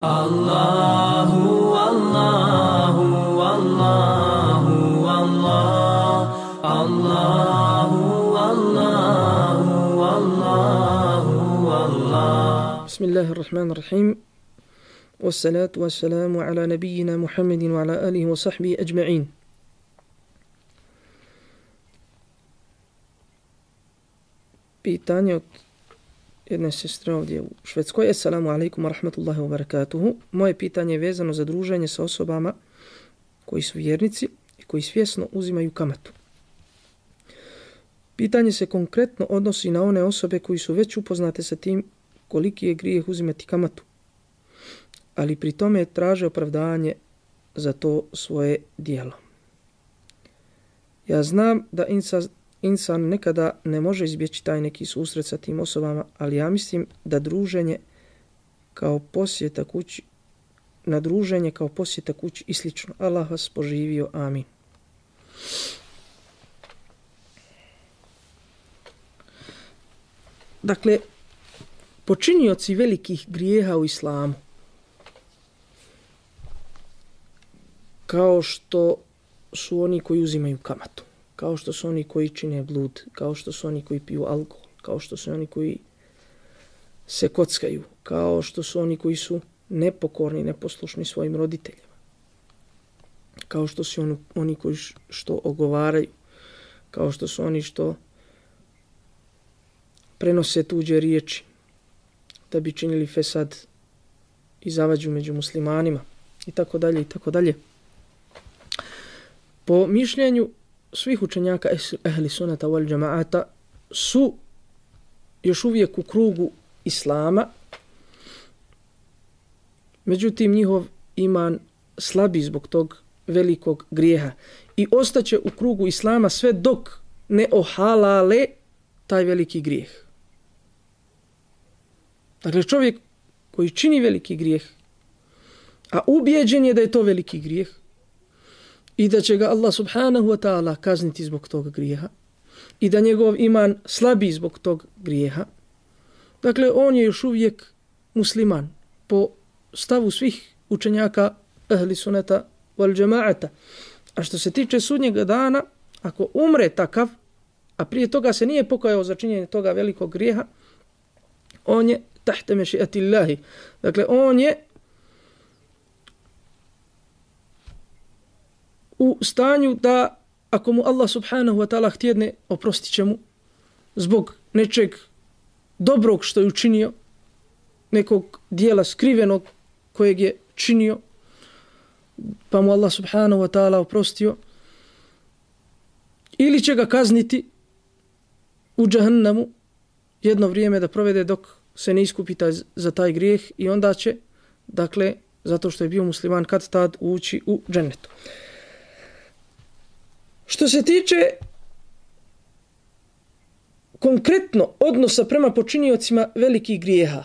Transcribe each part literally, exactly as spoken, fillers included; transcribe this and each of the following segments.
Allahu, Allahu, Allahu, Allah, Allahu, Allahu, Allahu, Allah. Bismillahirrahmanirrahim. Wassalatu wassalamu ala nabiyyina Muhammedin wa ala alihi wa sahbihi ajma'in. Pitanje od jedne sestre ovdje u Švedskoj. Assalamu alaikum wa rahmatullahi wa barakatuhu. Moje pitanje je vezano za druženje sa osobama koji su vjernici i koji svjesno uzimaju kamatu. Pitanje se konkretno odnosi na one osobe koji su već upoznate sa tim koliki je grijeh uzimati kamatu, ali pri tome traže opravdanje za to svoje dijelo. Ja znam da insan Insan nekada ne može izbjeći taj neki susret sa tim osobama, ali ja mislim da druženje kao posjeta kući, na druženje kao posjeta kući i slično. Allah vas poživio. Amin. Dakle, počinioci velikih grijeha u islamu, kao što su oni koji uzimaju kamatu, kao što su oni koji čine blud, kao što su oni koji piju alkohol, kao što su oni koji se kockaju, kao što su oni koji su nepokorni, neposlušni svojim roditeljima, kao što su oni, oni koji što ogovaraju, kao što su oni što prenose tuđe riječi da bi činili fesad i zavađu među muslimanima i tako dalje i tako dalje. Po mišljenju svih učenjaka ehli sunata wal džamaata su još uvijek u krugu islama, međutim njihov iman slabi zbog tog velikog grijeha i ostaće u krugu islama sve dok ne ohalale taj veliki grijeh. Dakle, čovjek koji čini veliki grijeh, a ubijeđen je da je to veliki grijeh, i da će ga Allah subhanahu wa ta'ala kazniti zbog tog grijeha i da njegov iman slabi zbog tog grijeha. Dakle, on je još uvijek musliman po stavu svih učenjaka ahli sunata wal džemaata. A što se tiče sudnjega dana, ako umre takav, a prije toga se nije pokajao za činjenje toga velikog grijeha, on je tahte mešiatillahi. Dakle, on je u stanju da ako mu Allah subhanahu wa ta'ala htjedne, oprostit će mu zbog nečeg dobrog što je učinio, nekog dijela skrivenog kojeg je činio, pa mu Allah subhanahu wa ta'ala oprostio, ili će ga kazniti u džahannamu jedno vrijeme da provede dok se ne iskupi taj, za taj grijeh i onda će, dakle, zato što je bio musliman, kad tad ući u džennetu. Što se tiče konkretno odnosa prema počiniocima velikih grijeha,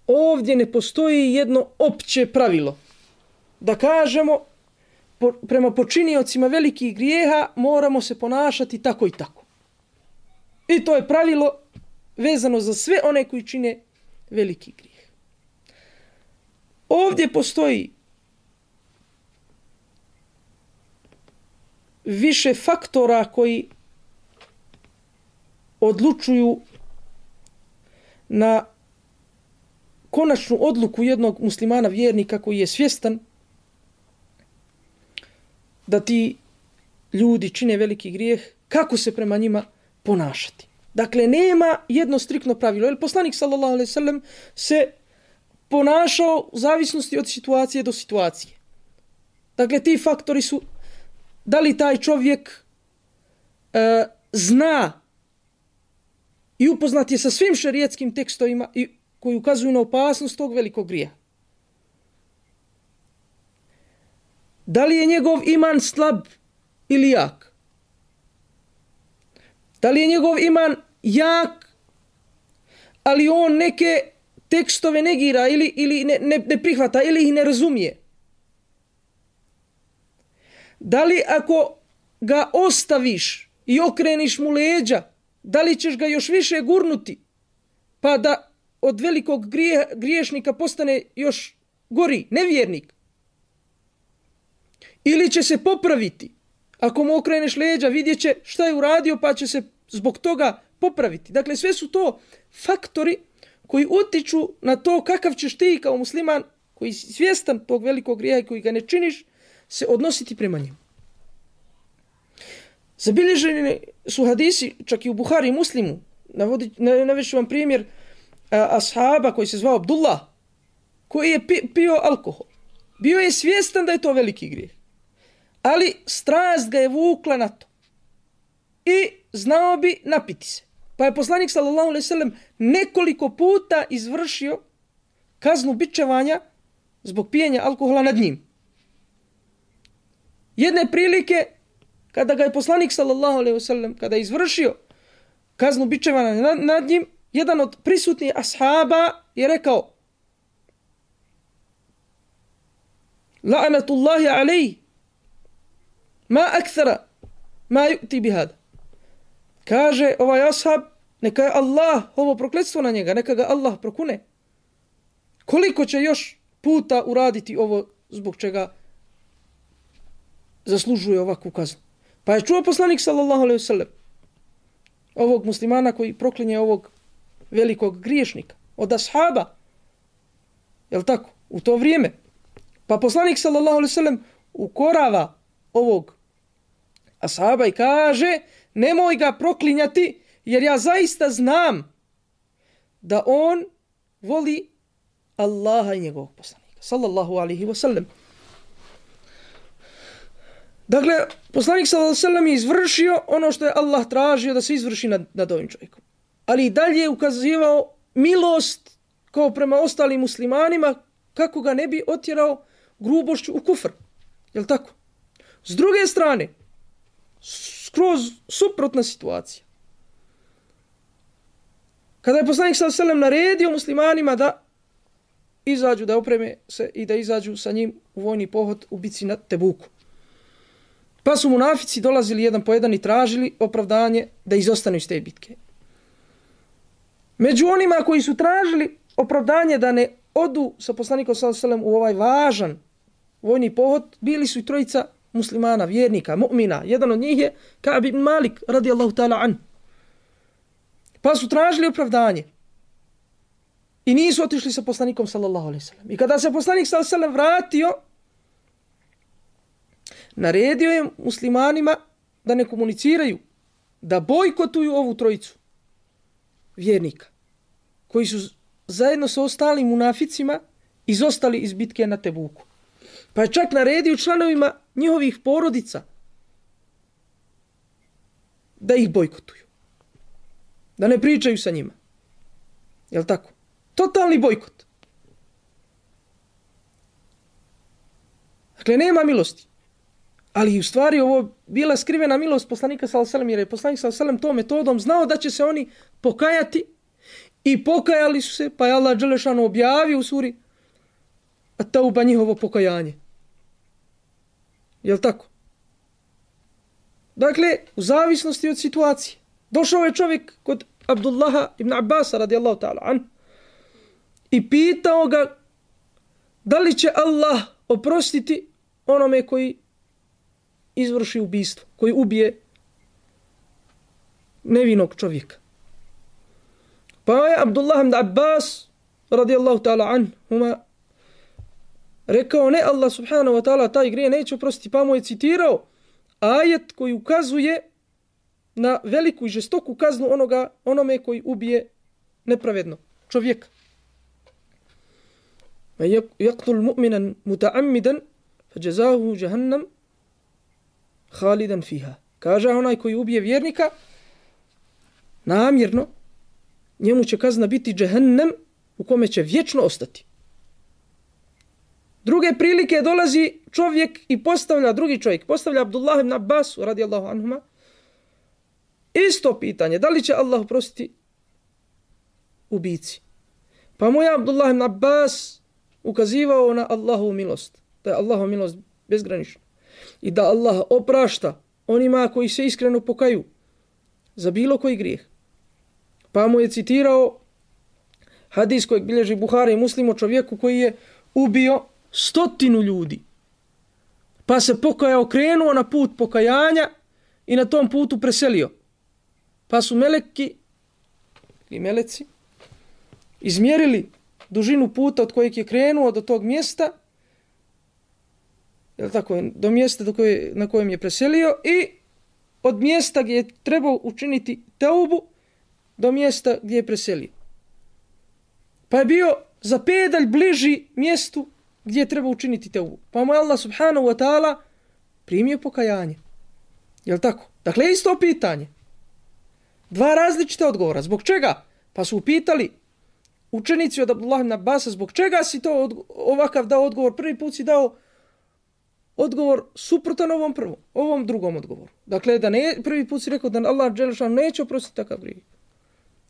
ovdje ne postoji jedno opće pravilo da kažemo po, prema počiniocima velikih grijeha moramo se ponašati tako i tako. I to je pravilo vezano za sve one koji čine veliki grijeh. Ovdje postoji više faktora koji odlučuju na konačnu odluku jednog muslimana vjernika koji je svjestan da ti ljudi čine veliki grijeh, kako se prema njima ponašati. Dakle, nema jedno striktno pravilo. Jer poslanik sallallahu alejhi ve sellem se ponašao u zavisnosti od situacije do situacije. Dakle, ti faktori su da li taj čovjek e, zna i upoznat je sa svim šerijetskim tekstovima i koji ukazuju na opasnost tog velikog grijeha. Da li je njegov iman slab ili jak? Da li je njegov iman jak, ali on neke tekstove negira ili, ili ne, ne, ne prihvata ili ih ne razumije? Da li ako ga ostaviš i okreniš mu leđa, da li ćeš ga još više gurnuti, pa da od velikog grije, griješnika postane još gori, nevjernik. Ili će se popraviti. Ako mu okreneš leđa, vidjet će šta je uradio, pa će se zbog toga popraviti. Dakle, sve su to faktori koji utiču na to kakav ćeš ti kao musliman, koji si svjestan tog velikog grijeha i koji ga ne činiš, se odnositi prema njemu. Zabilježeni su hadisi, čak i u Buhari i Muslimu, navešću vam primjer a, ashaba koji se zvao Abdullah, koji je pi, pio alkohol. Bio je svjestan da je to veliki grijeh, ali strast ga je vukla na to. I znao bi napiti se. Pa je poslanik sallallahu alejhi ve sellem nekoliko puta izvršio kaznu bičevanja zbog pijenja alkohola nad njim. Jedne prilike, kada ga je poslanik sallallahu alejhi ve sellem, kada je izvršio kaznu bičevanja nad, nad njim, jedan od prisutnih ashaba je rekao: La'natullahi alejhi ma akthara ma yu'ti bihada. Kaže ovaj ashab, neka je Allah, ovo prokletstvo na njega, neka ga Allah prokune. Koliko će još puta uraditi ovo zbog čega zaslužuje ovakvu kaznu? Pa je čuo poslanik sallallahu alejhi ve sellem ovog muslimana koji proklinje ovog velikog griješnika od ashaba. Jel tako? U to vrijeme. Pa poslanik sallallahu alejhi ve sellem ukorava ovog ashaba i kaže: nemoj ga proklinjati, jer ja zaista znam da on voli Allaha i njegovog poslanika sallallahu alejhi ve sellem. Dakle, poslanik sallallahu alejhi ve sellem je izvršio ono što je Allah tražio da se izvrši nad, nad ovim čovjekom. Ali i dalje je ukazivao milost kao prema ostalim muslimanima, kako ga ne bi otjerao grubošću u kufr. Jel tako? S druge strane, skroz suprotna situacija. Kada je poslanik sallallahu alejhi ve sellem naredio muslimanima da izađu, da opreme se i da izađu sa njim u vojni pohod u bici na Tebuku. Pa su munafici dolazili jedan po jedan i tražili opravdanje da izostanu iz te bitke. Među onima koji su tražili opravdanje da ne odu sa poslanikom sallallahu alejhi ve sellem u ovaj važan vojni pohod, bili su i trojica muslimana, vjernika, mu'mina. Jedan od njih je Ka'b ibn Malik radijallahu ta'ala an. Pa su tražili opravdanje. I nisu otišli sa poslanikom sallallahu alejhi ve sellem. I kada se poslanik sallallahu alejhi ve sellem vratio, naredio je muslimanima da ne komuniciraju, da bojkotuju ovu trojicu vjernika, koji su zajedno sa ostalim munaficima izostali iz bitke na Tebuku. Pa je čak naredio članovima njihovih porodica da ih bojkotuju. Da ne pričaju sa njima. Jel tako? Totalni bojkot. Dakle, nema milosti. Ali u stvari ovo bila skrivena milost poslanika sallallahu alejhi ve sellem, jer je poslanik sallallahu alejhi ve sellem tom metodom znao da će se oni pokajati i pokajali su se, pa je Allah dželešanu objavio u suri At-Tauba njihovo pokajanje. Jel tako? Dakle, u zavisnosti od situacije. Došao je čovjek kod Abdullaha ibn Abbasa radijallahu ta'ala an i pitao ga da li će Allah oprostiti onome koji izvrši ubistvo, koji ubije nevinog čovjeka. Pa je Abdullah ibn Abbas radijallahu ta'ala anhuma rekao: ne, Allah subhanahu wa ta'ala taj grije neće oprostiti. Pa mu je citirao ajet koji ukazuje na veliku i žestoku kaznu onoga, onome koji ubije nepravedno čovjeka. Yaqtul mu'minan muta'ammidan fajazahu jahannam khalidan fiha. Kaže onaj koji ubije vjernika namjerno, njemu će kazna biti džehennem u kome će vječno ostati. Druge prilike dolazi čovjek i postavlja, drugi čovjek postavlja Abdullah ibn Abbas radijallahu anhuma isto pitanje, da li će Allah oprostiti ubici. Pa mu je Abdullah ibn Abbas ukazivao na Allahovu milost, da je Allahova milost bezgranična i da Allah oprašta onima koji se iskreno pokaju za bilo koji grijeh. Pa mu je citirao hadis kojeg bilježi Buhari i Muslim o čovjeku koji je ubio stotinu ljudi. Pa se pokajao, krenuo na put pokajanja i na tom putu preselio. Pa su meleki i meleci izmjerili dužinu puta od kojeg je krenuo do tog mjesta, je tako, do mjesta do koje, na kojem je preselio, i od mjesta gdje je trebao učiniti teubu do mjesta gdje je preselio. Pa je bio za pedalj bliži mjestu gdje je trebao učiniti teubu. Pa mu je Allah subhanahu wa ta'ala primio pokajanje. Je li tako? Dakle, isto pitanje. Dva različita odgovora. Zbog čega? Pa su upitali učenici od Abdullah ibn Abbasa, zbog čega si to od, ovakav dao odgovor? Prvi put si dao odgovor suprotan ovom prvom, ovom drugom odgovoru. Dakle, da ne, prvi put si rekao da Allah dželešanu neće oprostiti takav grijeh.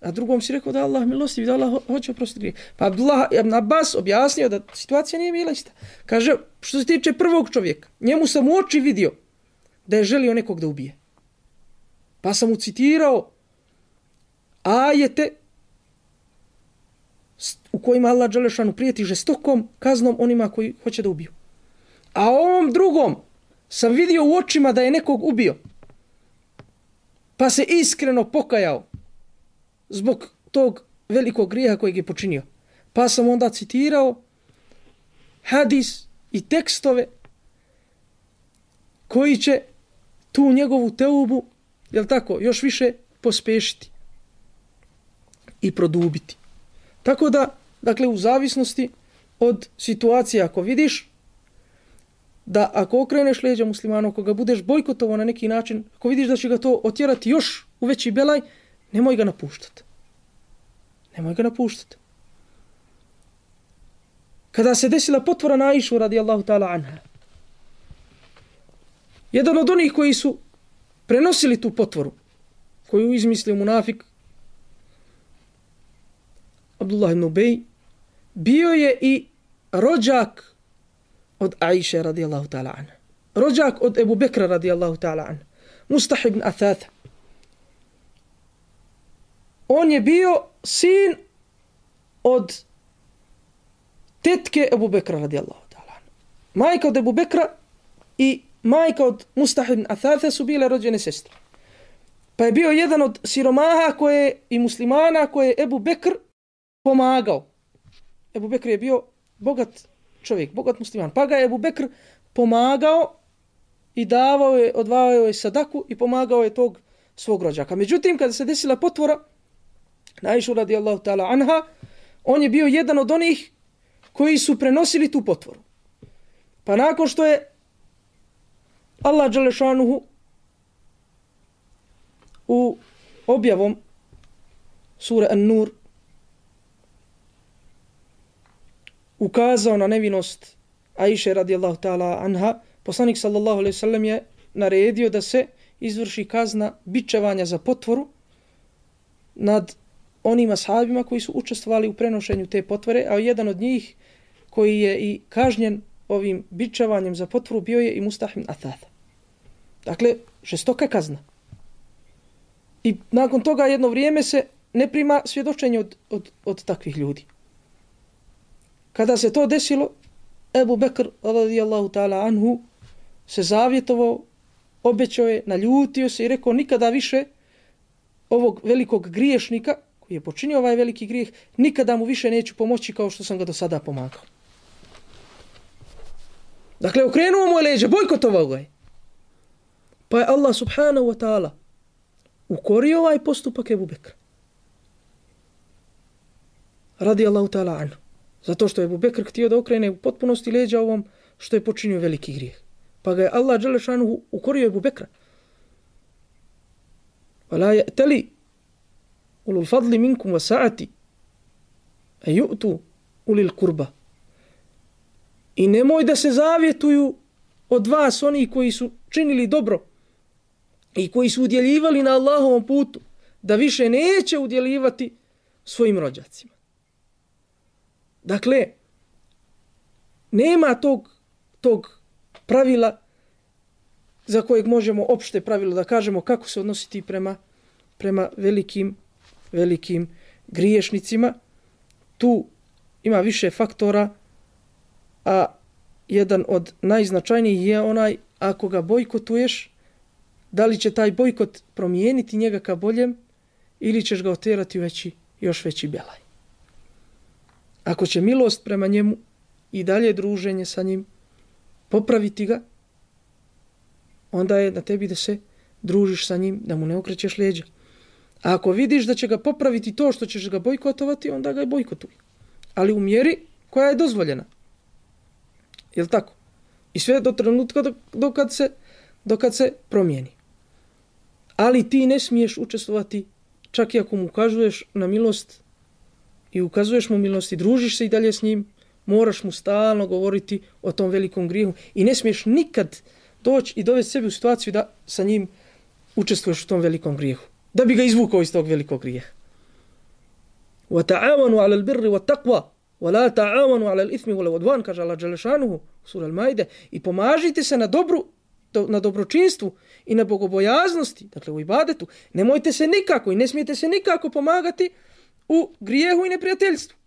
A drugom si rekao da Allah milostiv, da Allah hoće oprostiti grijeh. Pa Abdullah ibn Abbas objasnio da situacija nije bila ista. Kaže, što se tiče prvog čovjeka, njemu sam u oči vidio da je želio nekog da ubije. Pa sam mu citirao ajete u kojima Allah dželešanu prijeti žestokom kaznom onima koji hoće da ubiju. A ovom drugom sam vidio u očima da je nekog ubio. Pa se iskreno pokajao zbog tog velikog grijeha kojeg je počinio. Pa sam onda citirao hadis i tekstove koji će tu njegovu teubu, jel tako, još više pospešiti i produbiti. Tako da, dakle, u zavisnosti od situacije, ako vidiš da ako okreneš leđa muslimanu, ako ga budeš bojkotovao na neki način, ako vidiš da će ga to otjerati još u veći belaj, nemoj ga napuštati. Nemoj ga napuštati. Kada se desila potvora na Aishu radijallahu ta'ala anha, jedan od onih koji su prenosili tu potvoru, koju izmislio munafik, Abdullah ibn Ubej, bio je i rođak od Aisha radijallahu ta'ala anha. Rođak od Ebu Bekra radijallahu ta'ala anha. Mustah ibn Athatha. On je bio sin od tetke Ebu Bekra radijallahu ta'ala anha. Majka od Ebu Bekra i majka od Mustah ibn Athatha su bile rođene sestre. Pa je bio jedan od siromaha koje i muslimana koje je Ebu Bekr pomagao. Ebu Bekr je bio bogat čovjek, bogat musliman. Pa ga je Ebu Bekr pomagao i davao je, odvajao je sadaku i pomagao je tog svog rođaka. Međutim, kada se desila potvora na Aishu radijallahu ta'ala anha, on je bio jedan od onih koji su prenosili tu potvoru. Pa nakon što je Allah dželešanuhu u objavom sure An-Nur ukazao na nevinost Aisha radijallahu ta'ala anha, poslanik sallallahu alejhi ve sellem je naredio da se izvrši kazna bičevanja za potvoru nad onim ashabima koji su učestvovali u prenošenju te potvore, a jedan od njih koji je i kažnjen ovim bičevanjem za potvoru bio je i Mustah ibn Athatha. Dakle, žestoka kazna. I nakon toga jedno vrijeme se ne prima svjedočenje od, od, od takvih ljudi. Kada se to desilo, Ebu Bekr radijallahu ta'ala anhu se zavjetovao, obećao je, naljutio se i rekao nikada više ovog velikog griješnika koji je počinio ovaj veliki grijeh, nikada mu više neću pomoći kao što sam ga do sada pomagao. Dakle, okrenuo mu je leđe, bojkotovao ga je. Pa je Allah subhanahu wa ta'ala ukorio ovaj postupak Ebu Bekra radijallahu ta'ala anhu. Zato što je Ebu Bekr htio da okrene u potpunosti leđa ovom što je počinio veliki grijeh. Pa ga je Allah dželešanu ukorio Ebu Bekra. وَلَا يَأْتَلِ أُولُو الْفَضْلِ مِنْكُمْ وَسَعَةِ أَنْ يُؤْتُوا أُولِي الْقُرْبَ. I nemoj da se zavjetuju od vas oni koji su činili dobro i koji su udjeljivali na Allahovom putu, da više neće udjeljivati svojim rođacima. Dakle, nema tog, tog pravila za kojeg možemo opšte pravilo da kažemo kako se odnositi prema, prema velikim, velikim griješnicima. Tu ima više faktora a jedan od najznačajnijih je onaj ako ga bojkotuješ, da li će taj bojkot promijeniti njega ka boljem ili ćeš ga oterati u veći, još veći belaj. Ako će milost prema njemu i dalje druženje sa njim popraviti ga, onda je na tebi da se družiš sa njim, da mu ne okrećeš leđa. A ako vidiš da će ga popraviti to što ćeš ga bojkotovati, onda ga i bojkotuj. Ali u mjeri koja je dozvoljena. Jel tako? I sve do trenutka dokad se, dokad se promijeni. Ali ti ne smiješ učestvovati, čak i ako mu ukazuješ na milost i ukazuješ mu milost i družiš se i dalje s njim, moraš mu stalno govoriti o tom velikom grijehu i ne smiješ nikad doći i dovesti sebi u situaciju da sa njim učestvuješ u tom velikom grijehu. Da bi ga izvukao iz tog velikog grijeha. وَتَعَوَنُوا عَلَى الْبِرِّ وَالتَّقْوَى وَلَا تَعَوَنُوا عَلَى الْإِثْمِ وَالْعُدْوَانِ, kaže Allah dželle šanuhu, sura Al-Maide, i pomažite se na dobru, na dobročinstvu i na bogobojaznosti, dakle u ibadetu. Nemojte se nikako i ne smijete se nikako pomagati u grijehu i neprijateljstvu.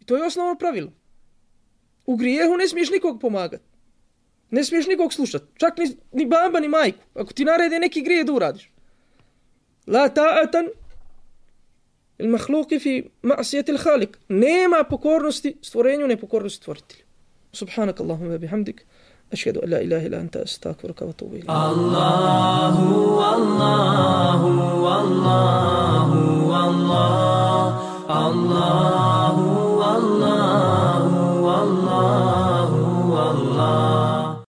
I to je osnovno pravilo. U grijehu ne smiješ nikog pomagati. Ne smiješ nikog slušati. Čak ni, ni baba, ni majku. Ako ti narede neki grije da uradiš. La ta'atan il mahluki fi ma'sijeti il halik. Nema pokornosti stvorenju, nepokornosti stvoritelju. Subhanak Allahumma bihamdik. Ašhedu an la ilaha illa anta, astaghfiruka wa atubu ilayk. Allah